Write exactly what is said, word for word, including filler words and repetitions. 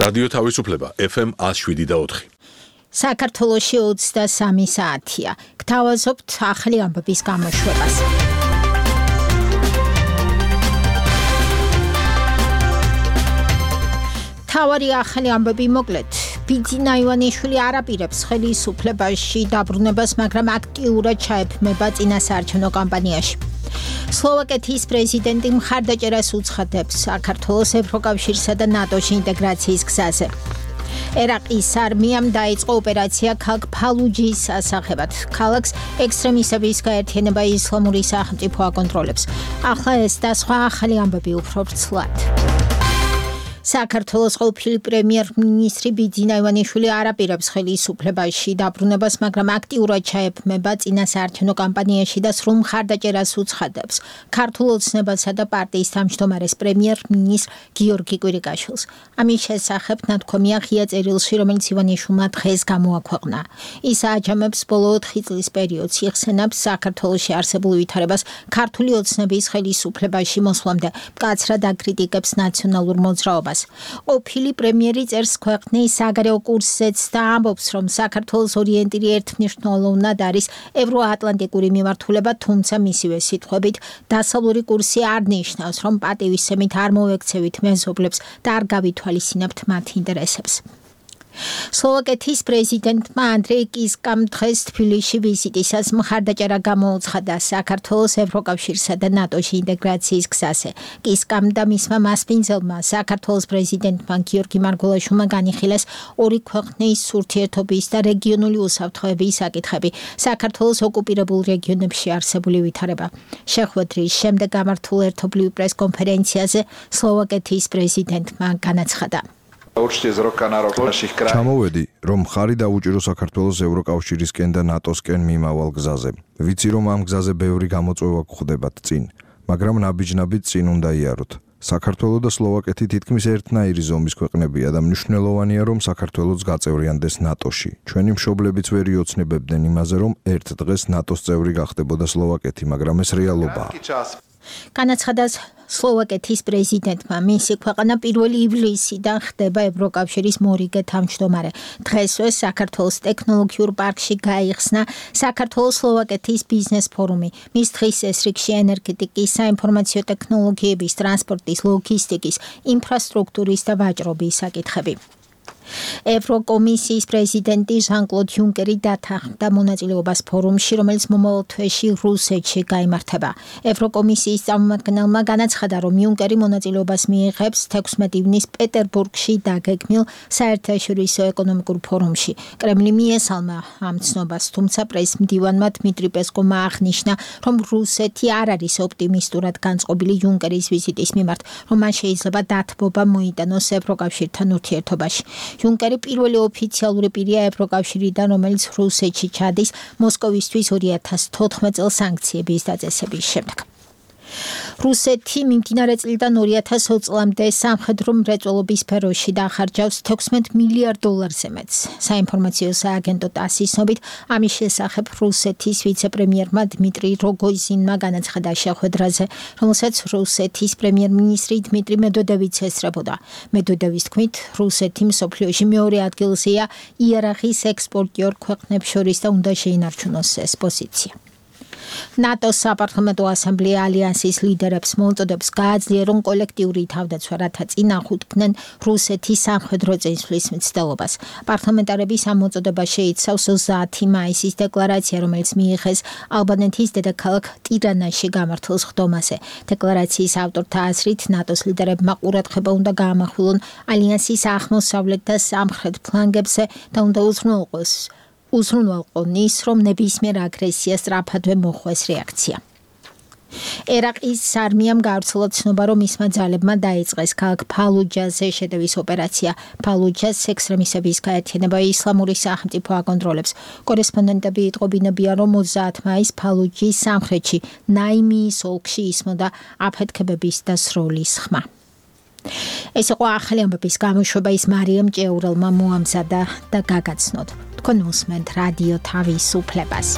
რადიო თავისუფლება ეფ ემ one oh seven და four. საქართველოში ოცდასამი საათია. გთავაზობთ ახალი ამბების გამოშვებას. თავარი ახალი ამბები მოკლედ. ბიძინა ივანიშვილი არ აპირებს ხელისუფლებაში დაბრუნებას, მაგრამ აქტიურად ჩაეფმება წინასაარჩევნო კამპანიაში. სლოვაკეთის პრეზიდენტი მხარდაჭერას უცხადებს საქართველოს ევროკავშირსა და ნატოში ინტეგრაციის გზაზე. ერაყის არმიამ დაიწყო ოპერაცია ქალაქ ფალუჯის ასახებად. ქალაქს ექსტრემისტების გაერთიანება ისლამური სახელმწიფო აკონტროლებს. ახლა ეს და სხვა ახალი ამბები უფრო ვრცლად. საქართველოს ყოფილი პრემიერ-მინისტრი ბიძინა ივანიშვილი არ აპირებს ხელისუფლებაში დაბრუნებას, მაგრამ აქტიურად ჩაეფმება წინასაარჩევნო კამპანიაში და სრულ მხარდაჭერას უცხადებს ქართულ ოცნებასა და პარტიის თავმჯდომარეს პრემიერ-მინისტრ გიორგი კვირიკაშვილს. ამის შესახებ ნათქვამია ღია წერილში, რომელიც ივანიშვილმა დღეს გამოაქვეყნა. ის აჯამებს ბოლო ოთხი წლის პერიოდს, იხსენებს საქართველოში არსებულ ვითარებას ქართული ოცნების ხელისუფლებაში მოსვლამდე, მკაცრად აკრიტიკებს ნაციონალურ მოძრაობას. ყოფილი პრემიერი წერს ქვეყნის საგარეო კურსზეც და ამბობს, რომ საქართველოს ორიენტირი ერთმნიშვნელოვნად არის ევროატლანტიკური მიმართულება, თუმცა მისივე სიტყვებით დასავლური კურსი არ ნიშნავს, რომ პატივისცემით არ მოვექცევით მეზობლებს და არ გავითვალისწინებთ მათ ინტერესებს. სლოვაკეთის პრეზიდენტმა ანდრეი კისკამ დღეს თბილისში ვიზიტისას მხარდაჭერა გამოუცხადა საქართველოს ევროკავშირსა და ნატოში ინტეგრაციის გზაზე. კისკამ და მისმა მასპინძელმა საქართველოს პრეზიდენტმა გიორგი მარგველაშვილმა განიხილეს ორი ქვეყნის ურთიერთობის და რეგიონული უსაფრთხოების საკითხები, საქართველოს ოკუპირებულ რეგიონებში არსებული ვითარება. შეხვედრის შემდეგ გამართულ ერთობლივ პრესკონფერენციაზე სლოვაკეთის პრეზიდენტმა განაცხადა. ჩამოვედი, რომ ხარი დაუჭირო საქართველოს ევროკავშირისკენ და ნატოსკენ მიმავალ გზაზე. ვიცი, რომ ამ გზაზე ბევრი გამოწვევა გვხვდებათ წინ, მაგრამ ნაბიჯ-ნაბიჯ წინ უნდა იაროთ. საქართველო და სლოვაკეთი თითქმის ერთნაირი ზომის ქვეყნებია და მნიშვნელოვანია, რომ საქართველოც გაწევრიანდეს ნატოში. ჩვენი მშობლებიც ვერ იოცნებებდნენ იმაზე, რომ ერთ დღეს ნატოს წევრი გახდებოდა სლოვაკეთი, მაგრამ ეს რეალობაა. განაცხადა სლოვაკეთის პრეზიდენტმა, მისი ქვეყანა პირველი ივლისიდან ხდება ევროკავშირის მორიგე თავმჯდომარე. დღესვე საქართველოს ტექნოლოგიურ პარკში გაიხსნა საქართველოს-სლოვაკეთის ბიზნეს ფორუმი. მის დღის ეს რიგში ენერგეტიკის, საინფორმაციო ტექნოლოგიების, ტრანსპორტის, ლოგისტიკის, ინფრასტრუქტურის და ვაჭრობის საკითხები. ევროკომისიის პრეზიდენტი ჟან-კლოდ იუნკერი დათანხმდა მონაწილეობას ფორუმში, რომელიც მომავალ თვეში რუსეთში გაიმართება. ევროკომისიის წარმომადგენელმა განაცხადა, რომ იუნკერი მონაწილეობას მიიღებს თექვსმეტი ივნის პეტერბურგში დაგეგმილ საერთაშორისო ეკონომიკურ ფორუმში. კრემლი მიესალმა ამ ცნობას, თუმცა პრესმდივანმა დმიტრი პესკოვმა აღნიშნა, რომ რუსეთი არ არის ოპტიმისტურად განწყობილი იუნკერის ვიზიტის მიმართ, რომ მან შეიძლება დათბობა მოიტანოს ევროკავშირთან ურთიერთობაში. იუნკერი პირველი ოფიციალური პირია ევროკავშირიდან, რომელიც რუსეთში ჩადის მოსკოვისთვის ორი ათას თოთხმეტ წელს სანქციების დაწესების შემდეგ. რუსეთი მიმდინარე წლიდან ორი ათას ოც წლამდე სამხედრო მრეწველობის სფეროში დაახარჯავს თექვსმეტ მილიარდ დოლარზე მეტს. საინფორმაციო სააგენტო ტასის ცნობით, ამის შესახებ რუსეთის ვიცე-პრემიერმა დმიტრი როგოზინმა განაცხადა შეხვედრაზე, რომელსაც რუსეთის პრემიერ-მინისტრი დმიტრი მედვედევიც ესწრებოდა. მედვედევის თქმით, რუსეთი მსოფლიოში მეორე ადგილზეა იარაღის ექსპორტიორ ქვეყნებს შორის და უნდა შეინარჩუნოს ეს პოზიცია. ნატოს საპარლამენტო ასამბლეა ალიანსის ლიდერებს მოუწოდებს გააძლიერონ კოლექტიური თავდაცვა, რათა წინააღმდეგდნენ რუსეთის სამხედრო წინსვლის მცდელობას. პარლამენტარების ამ მოწოდებას შეიცავს ოცდაათი მაისის დეკლარაცია, რომელიც მიიღეს ალბანეთის დედაქალაქ ტირანაში გამართულ სხდომაზე. დეკლარაციის ავტორთა აზრით, ნატოს ლიდერებმა ყურადღება უნდა გაამახვილონ ალიანსის აღმოსავლეთ და სამხრეთ ფლანგებზე და უნდა უზრუნველყოს უზრუნველყონ ის, რომ ნებისმიერ აგრესიას სწრაფადვე მოხვეს რეაქცია. ერაყის არმიამ გავრცელა ცნობა, რომ მისმა ძალებმა დაიწყეს ქალაქ ფალუჯაზე შეტევის ოპერაცია. ფალუჯას ექსტრემისტების გაერთიანება ისლამური სახელმწიფო აკონტროლებს. კორესპონდენტები იტყობინებიან, რომ ოცდაათი მაისს ფალუჯის სამხრეთში ნაიმიის ოლქში ისმოდა აფეთქებების და სროლის ხმა. ეს იყო ახალი ამბების გამოშვება, ის მარიამ ჭეურელმა მოამზადა და გაგაცნოთ. თქვენ უსმენთ რადიო თავისუფლებას.